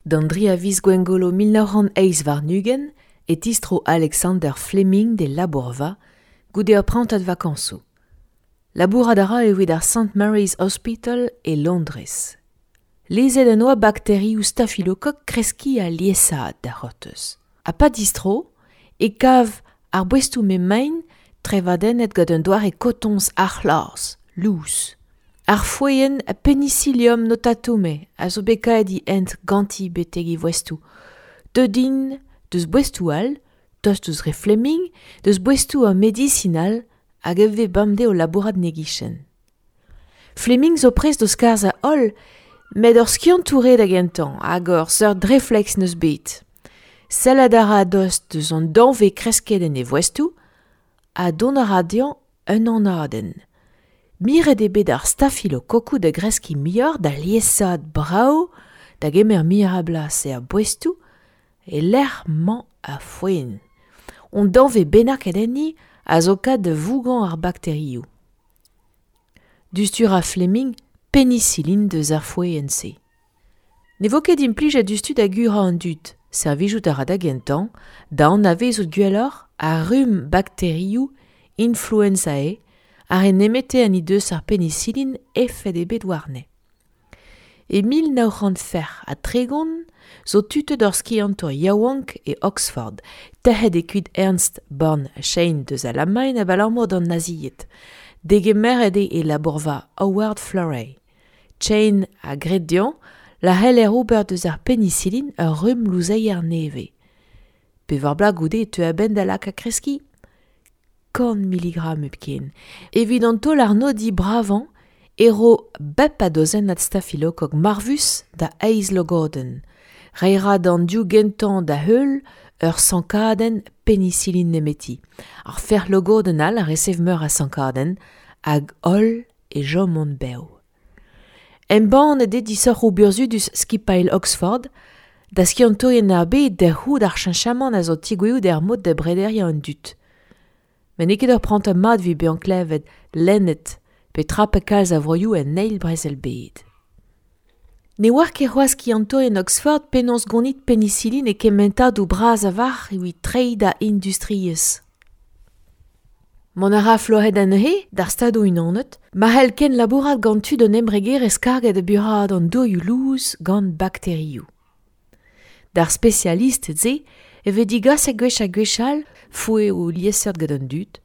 D'an dri a viz Gwengolo 1928 e tistro Alexander Fleming d'e labourva goude ur prantad vakañsoù. Labourat a ra evit ar St Mary's Hospital e Londrez. Lezet en oa bakterioù stafilokok kreskiñ ha liesaat da c'hortoz. Ha pa distro e kav ar boestoù m'emaint trevadennet gant un doare kotoñs arc'hlas, lous. Ar foenn Penicillium notatum a zo bet kaeet he hent ganti betek e voestoù. Deuet int deus boestoù all, tost ouzh re Fleming, deus boestoù ur medisin all hag e vez bemdez o labourat en e gichen. Fleming zo prest d'o skarzhañ holl, met ur skiantour eo da gentañ hag ur seurt refleks 'neus bet. Sellet a ra a-dost deus an danvez kresket en e voestoù ha dont a ra dezhañ un anadenn. Miret eo bet ar stafilokokoù da greskiñ muioc'h, da liesaat brav, da gemer muioc'h a blas er boestoù e-lec'h 'mañ ar foenn. Un danvez bennaket enni a zo kat da vougañ ar bakterioù. Diouzhtu 'ra Fleming penisilin deus ar foenn-se. Ne vo ket implijet diouzhtu da gurañ an dud, servijout a ra da gentañ da anavezout gwelloc'h ar rumm bakterioù influenzae ar re nemete ha n'he deus ar penisilin efed ebet warne. E 1936 zo tutet ur skiantour yaouank e Oxford, tec'het eo kuit Ernst Born Chain deus Alamagn abalamour d'an nazied. Degemeret eo e labourva Howard Florey. Chain a gred dezhañ la c'heller ober deus ar penisilin ur rumm louzeier nevez. Pevar bloaz goude e teu a-benn da lakaat kreskiñ kant miligram hepken. Evit an taol-arnodiñ bravañ e ro bep a dozennad stafilokok marvus da eizh logodenn. Reiñ a ra d'an div gentañ da heul ur sankadenn penisilin nemeti. Ar fer logodenn all a resev meur a sankadenn hag holl e chomont bev. Embannet eo disoc'hoù burzhudus skipailh Oxford da skiantourien ar bed da c'hoût ar cheñchamant a zo tigouezhout er mod da brederiañ an dud. Met n'eo ket ur prantad mat evit bezañ klevet, lennet pe trapet kalz a vroioù en Eil Brezel-bed. Ne oar ket c'hoazh skiantourien Oxford penaos gonit penisilin e kementadoù bras a-walc'h evit treiñ da industriezh. Mont a ra Flohed anezhe d'ar Stadoù-Unanet ma c'hell kenlabourat gant tud un embregerezh karget da buraat an dourioù lous gant bakterioù. D'ar spesialisted-se e vez digaset gwech ha gwech all foeoù liesseurt gant an dud.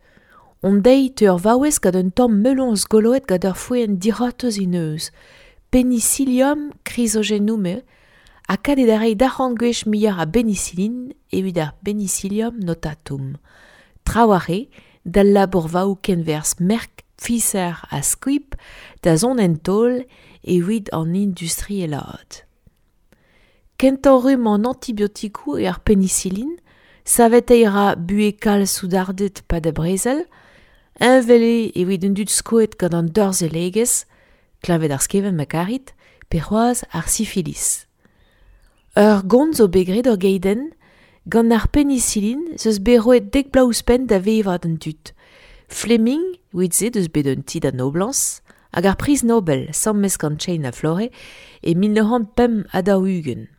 Hon deiz teu ur vaouez gant un tamm meloñs goloet gant ur foenn dic'hortoz he neuz, Penicillium chrysogenum ha kat eo da reiñ d'arc'hant gwech muioc'h a benisilin evit ar Penicillium notatum. Trawalc'h eo d'al labourvaoù kenwerzh Merck, Pfizer ha Squibb da zont en taol evit an industrielaat. Kentañ rumm an antibiotikoù eo ar penisilin, saveteiñ a ra buhez kalz soudarded 'pad ar brezel, heñvel eo evit an dud skoet gant an dorzhellegezh, kleñved ar skevent ma karit, pe c'hoazh ar sifilis. Ur gont zo bet graet ur geidenn, gant ar penisilin 'z eus bet roet dek bloaz ouzhpenn da vevañ d'an dud. Fleming, evit-se deus bet un ti da noblañs, hag ar priz Nobel, sammes gant Chain ha Florey, e 1945.